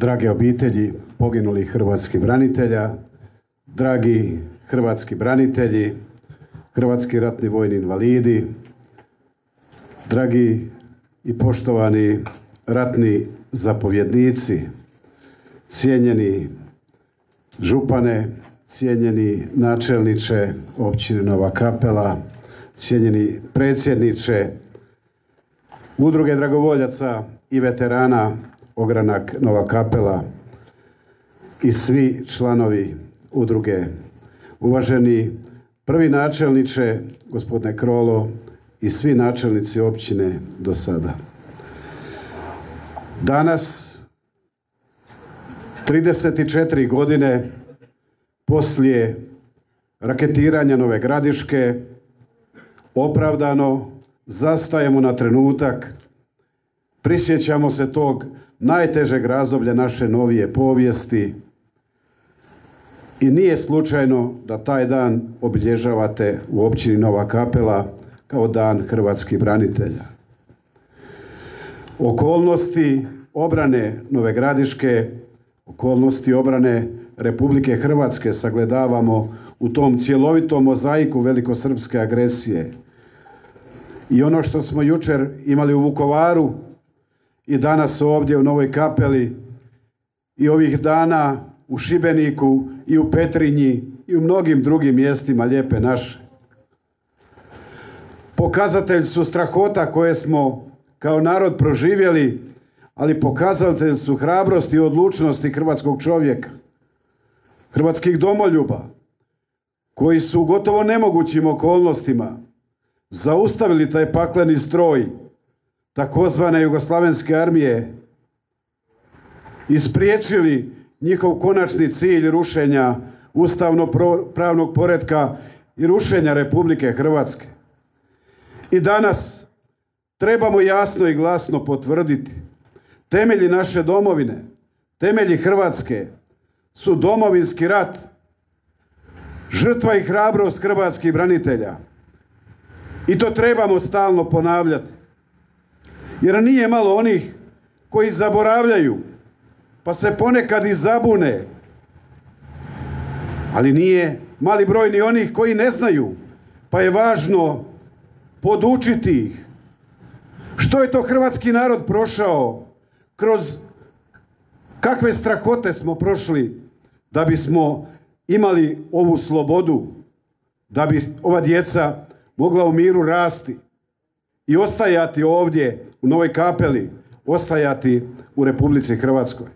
Drage obitelji poginulih hrvatskih branitelja, dragi hrvatski branitelji, hrvatski ratni vojni invalidi, dragi i poštovani ratni zapovjednici, cijenjeni župane, cijenjeni načelniče općine Nova Kapela, cijenjeni predsjedniče Udruge dragovoljaca i veterana Ogranak Nova Kapela i svi članovi udruge, uvaženi prvi načelniče gospodine Krolo i svi načelnici općine do sada. Danas, 34 godine poslije raketiranja Nove Gradiške, opravdano zastajemo na trenutak, prisjećamo se tog najtežeg razdoblja naše novije povijesti i nije slučajno da taj dan obilježavate u općini Nova Kapela kao Dan hrvatskih branitelja. Okolnosti obrane Nove Gradiške, okolnosti obrane Republike Hrvatske sagledavamo u tom cjelovitom mozaiku velikosrpske agresije. I ono što smo jučer imali u Vukovaru i danas ovdje u Novoj Kapeli i ovih dana u Šibeniku i u Petrinji i u mnogim drugim mjestima lijepe naše. Pokazatelj su strahota koje smo kao narod proživjeli, ali pokazatelj su hrabrosti i odlučnosti hrvatskog čovjeka, hrvatskih domoljuba, koji su u gotovo nemogućim okolnostima zaustavili taj pakleni stroj takozvane Jugoslavenske armije i spriječili njihov konačni cilj rušenja ustavno-pravnog poretka i rušenja Republike Hrvatske. I danas trebamo jasno i glasno potvrditi: temelji naše domovine, temelji Hrvatske su Domovinski rat, žrtva i hrabrost hrvatskih branitelja. I to trebamo stalno ponavljati. Jer nije malo onih koji zaboravljaju, pa se ponekad i zabune. Ali nije mali broj ni onih koji ne znaju, pa je važno podučiti ih. Što je to hrvatski narod prošao, kroz kakve strahote smo prošli da bismo imali ovu slobodu, da bi ova djeca mogla u miru rasti i ostajati ovdje u Novoj Kapeli, ostajati u Republici Hrvatskoj.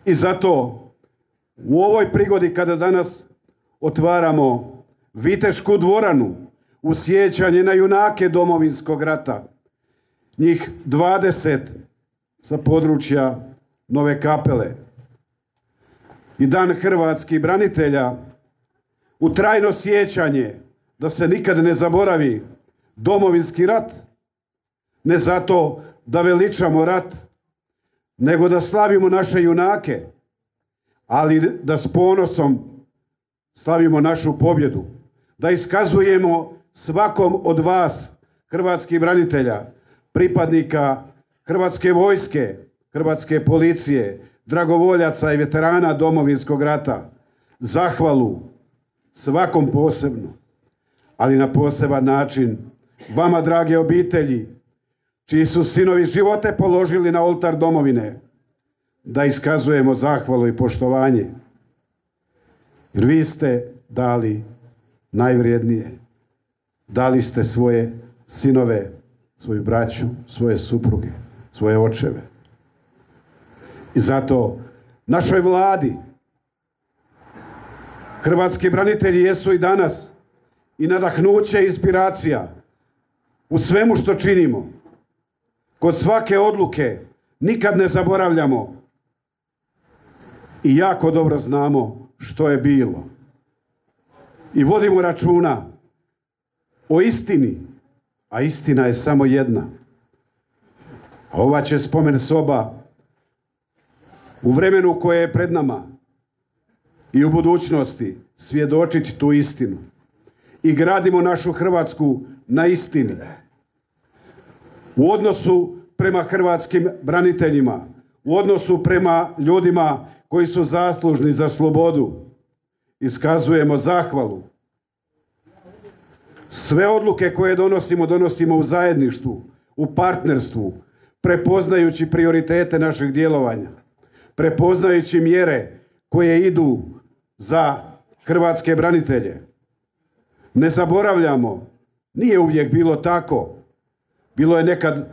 I zato u ovoj prigodi kada danas otvaramo Vitešku dvoranu u sjećanje na junake Domovinskog rata, njih 20 sa područja Nove Kapele, i Dan hrvatskih branitelja u trajno sjećanje da se nikad ne zaboravi Domovinski rat, ne zato da veličamo rat, nego da slavimo naše junake, ali da s ponosom slavimo našu pobjedu, da iskazujemo svakom od vas, hrvatskih branitelja, pripadnika Hrvatske vojske, Hrvatske policije, dragovoljaca i veterana Domovinskog rata, zahvalu svakom posebno, ali na poseban način vama, drage obitelji, čiji su sinovi živote položili na oltar domovine, da iskazujemo zahvalu i poštovanje. Jer vi ste dali najvrijednije. Dali ste svoje sinove, svoju braću, svoje supruge, svoje očeve. I zato našoj Vladi hrvatski branitelji jesu i danas i nadahnuće i inspiracija u svemu što činimo. Kod svake odluke nikad ne zaboravljamo i jako dobro znamo što je bilo. I vodimo računa o istini, a istina je samo jedna. A ova će spomen soba u vremenu koje je pred nama i u budućnosti svjedočiti tu istinu. I gradimo našu Hrvatsku na istini. U odnosu prema hrvatskim braniteljima, u odnosu prema ljudima koji su zaslužni za slobodu. Iskazujemo zahvalu. Sve odluke koje donosimo u zajedništvu, u partnerstvu, prepoznajući prioritete našeg djelovanja, prepoznajući mjere koje idu za hrvatske branitelje. Ne zaboravljamo, nije uvijek bilo tako. Bilo je nekad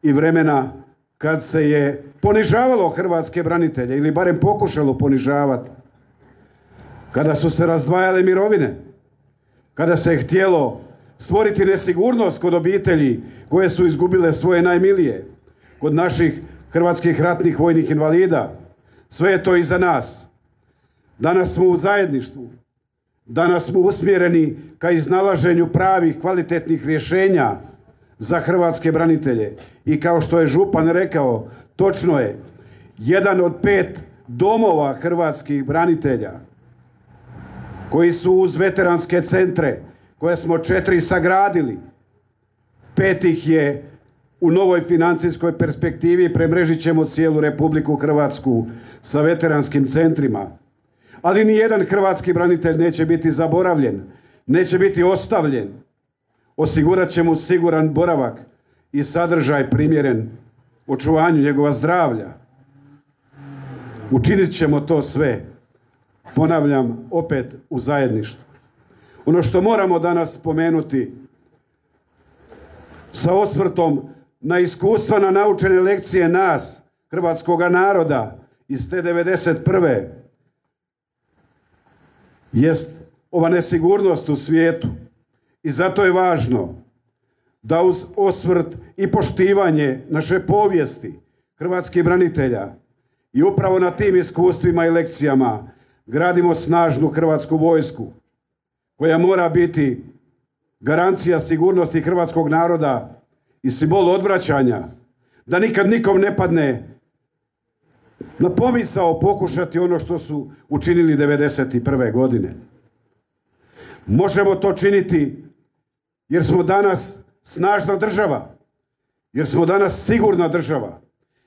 i vremena kad se je ponižavalo hrvatske branitelje ili barem pokušalo ponižavati. Kada su se razdvajale mirovine, kada se je htjelo stvoriti nesigurnost kod obitelji koje su izgubile svoje najmilije, kod naših hrvatskih ratnih vojnih invalida. Sve je to iza nas. Danas smo u zajedništvu. Danas smo usmjereni ka iznalaženju pravih, kvalitetnih rješenja za hrvatske branitelje. I kao što je župan rekao, točno je, 1 od 5 domova hrvatskih branitelja koji su uz veteranske centre, koje smo 4 sagradili, 5 ih je u novoj financijskoj perspektivi, premrežit ćemo cijelu Republiku Hrvatsku sa veteranskim centrima. Ali ni jedan hrvatski branitelj neće biti zaboravljen, neće biti ostavljen. Osigurat ćemo siguran boravak i sadržaj primjeren očuvanju njegova zdravlja. Učinit ćemo to sve, ponavljam, opet u zajedništvu. Ono što moramo danas spomenuti sa osvrtom na iskustva, na naučene lekcije nas, hrvatskoga naroda iz te 91. jest ova nesigurnost u svijetu. I zato je važno da uz osvrt i poštivanje naše povijesti hrvatskih branitelja i upravo na tim iskustvima i lekcijama gradimo snažnu hrvatsku vojsku koja mora biti garancija sigurnosti hrvatskog naroda i simbol odvraćanja, da nikad nikom ne padne na pomisao pokušati ono što su učinili 91. godine. Možemo to činiti jer smo danas snažna država, jer smo danas sigurna država,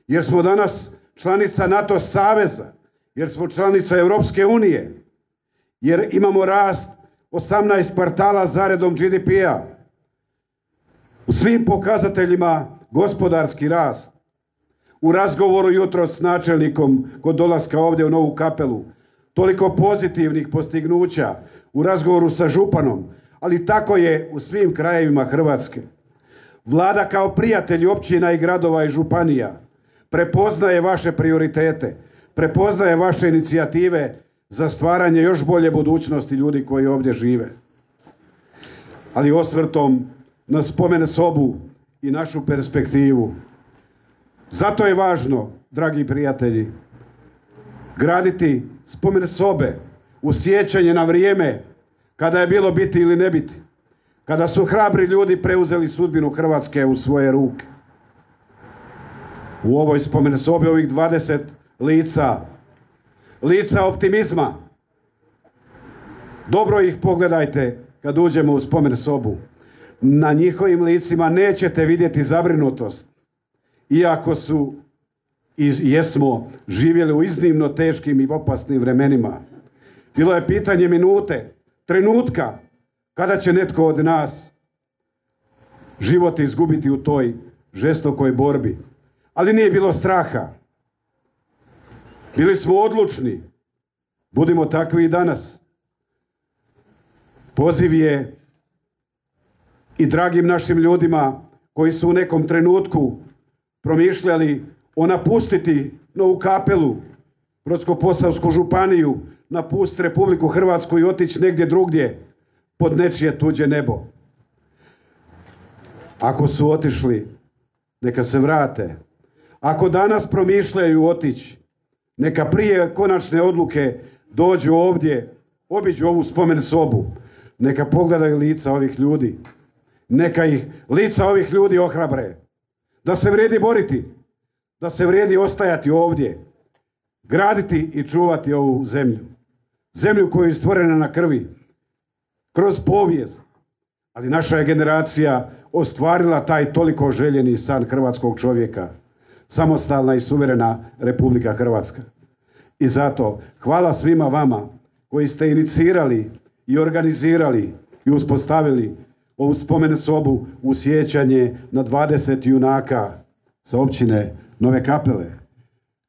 jer smo danas članica NATO saveza, jer smo članica Europske unije, jer imamo rast 18 kvartala zaredom GDP-a. U svim pokazateljima gospodarski rast. U razgovoru jutros s načelnikom kod dolaska ovdje u Novu Kapelu, toliko pozitivnih postignuća u razgovoru sa županom, ali tako je u svim krajevima Hrvatske. Vlada kao prijatelj općina i gradova i županija prepoznaje vaše prioritete, prepoznaje vaše inicijative za stvaranje još bolje budućnosti ljudi koji ovdje žive. Ali osvrtom na spomen sobu i našu perspektivu. Zato je važno, dragi prijatelji, graditi spomen sobe u sjećanje na vrijeme kada je bilo biti ili ne biti, kada su hrabri ljudi preuzeli sudbinu Hrvatske u svoje ruke. U ovoj spomen sobi ovih 20 lica optimizma. Dobro ih pogledajte kad uđemo u spomen sobu. Na njihovim licima nećete vidjeti zabrinutost, iako su i jesmo živjeli u iznimno teškim i opasnim vremenima. Bilo je pitanje minute, trenutka, kada će netko od nas život izgubiti u toj žestokoj borbi. Ali nije bilo straha. Bili smo odlučni. Budimo takvi i danas. Poziv je i dragim našim ljudima koji su u nekom trenutku promišljali o napustiti Novu Kapelu, Brodsko-posavsku županiju, napustiti Republiku Hrvatsku i otići negdje drugdje pod nečije tuđe nebo. Ako su otišli, neka se vrate. Ako danas promišljaju otići, neka prije konačne odluke dođu ovdje, obiđu ovu spomen sobu, neka pogledaju lica ovih ljudi, neka ih lica ovih ljudi ohrabre, da se vrijedi boriti, da se vrijedi ostajati ovdje, graditi i čuvati ovu zemlju. Zemlju koja je stvorena na krvi, kroz povijest, ali naša je generacija ostvarila taj toliko željeni san hrvatskog čovjeka. samostalna i suverena Republika Hrvatska. I zato hvala svima vama koji ste inicirali i organizirali i uspostavili ovu spomen sobu u sjećanje na 20 junaka sa općine Nove Kapele.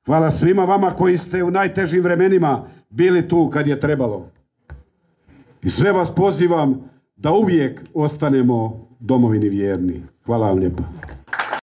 Hvala svima vama koji ste u najtežim vremenima bili tu kad je trebalo. I sve vas pozivam da uvijek ostanemo domovini vjerni. Hvala vam lijepa.